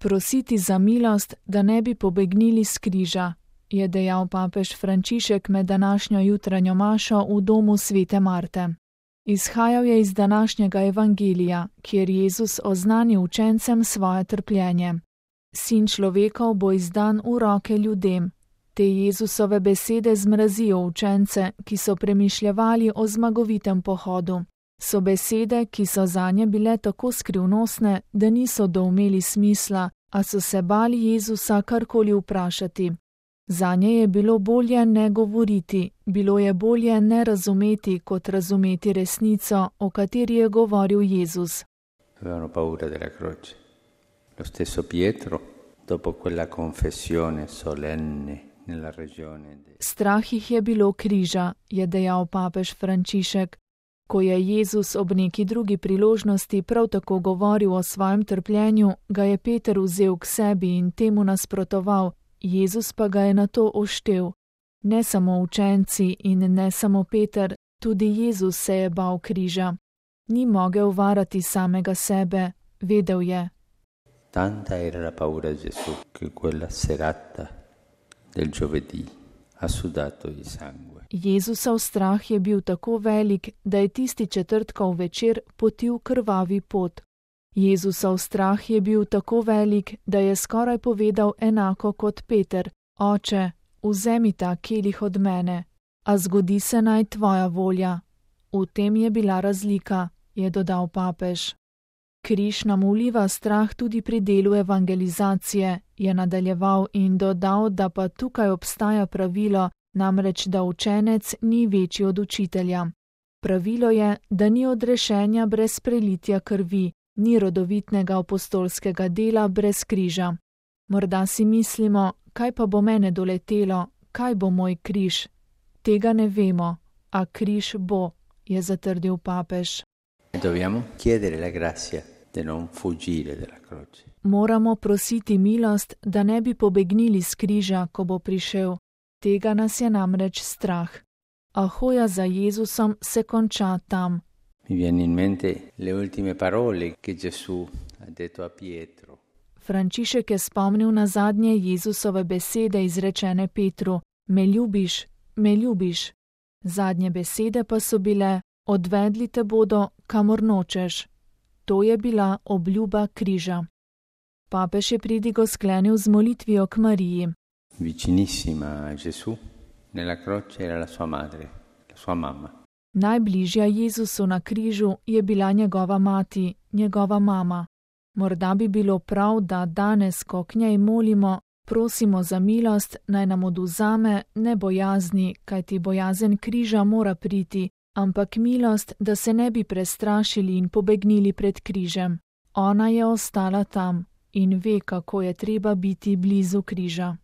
Prositi za milost, da ne bi pobegnili s križa, je dejal papež Frančišek med današnjo jutranjo mašo v domu svete Marte. Izhajal je iz današnjega evangelija, kjer Jezus oznani učencem svoje trpljenje. Sin človekov bo izdan v roke ljudem. Te Jezusove besede zmrazijo učence, ki so premišljevali o zmagovitem pohodu. So besede, ki so zanje bile tako skrivnostne, da niso doumeli smisla, a so se bali Jezusa karkoli vprašati. Zanje je bilo bolje ne govoriti, bilo je bolje ne razumeti, kot razumeti resnico, o kateri je govoril Jezus. Avevano paura della croce. Lo stesso Pietro, dopo quella confessione solenne nella regione. Strah jih je bilo križa, je dejal papež Frančišek. Ko je Jezus ob neki drugi priložnosti prav tako govoril o svojem trpljenju, ga je Peter vzel k sebi in temu nasprotoval, Jezus pa ga je na to oštel. Ne samo učenci in ne samo Peter, tudi Jezus se je bal križa. Ni mogel varati samega sebe, vedel je. Tanta era la paura di Gesù che quella serata del giovedì ha sudato di sangue. Jezusov strah je bil tako velik, da je tisti četrtkov večer potil krvavi pot. Jezusov strah je bil tako velik, da je skoraj povedal enako kot Peter: Oče, vzemi ta kelih od mene, a zgodi se naj tvoja volja. V tem je bila razlika, je dodal papež. Križ nam vliva strah tudi pri delu evangelizacije, je nadaljeval in dodal, da pa tukaj obstaja pravilo, namreč da učenec ni večji od učitelja. Pravilo je, da ni odrešenja brez prelitja krvi, ni rodovitnega apostolskega dela brez križa. Morda si mislimo, kaj pa bo mene doletelo, kaj bo moj križ? Tega ne vemo, a križ bo, je zatrdil papež. Dobbiamo chiedere la grazia di non fuggire dalla croce. Moramo prositi milost, da ne bi pobegnili s križa, ko bo prišel. Tega nas je namreč strah. A hoja za Jezusom se konča tam. Mi viene in mente le ultime parole che Gesù ha detto a Pietro. Frančišek je spomnil na zadnje Jezusove besede izrečene Petru: Me ljubiš, me ljubiš. Zadnje besede pa so bile: Odvedli te bodo, kamor nočeš. To je bila obljuba križa. Papež je pridigo sklenil z molitvijo k Mariji. Vicinissima a Gesù, nella croce era la sua madre, la sua mamma. Najbližja Jezusu na križu je bila njegova mati, njegova mama. Morda bi bilo prav, da danes, ko k njej molimo, prosimo za milost, naj nam odvzame ne bojazni, kajti bojazen križa mora priti, ampak milost, da se ne bi prestrašili in pobegnili pred križem. Ona je ostala tam in ve, kako je treba biti blizu križa.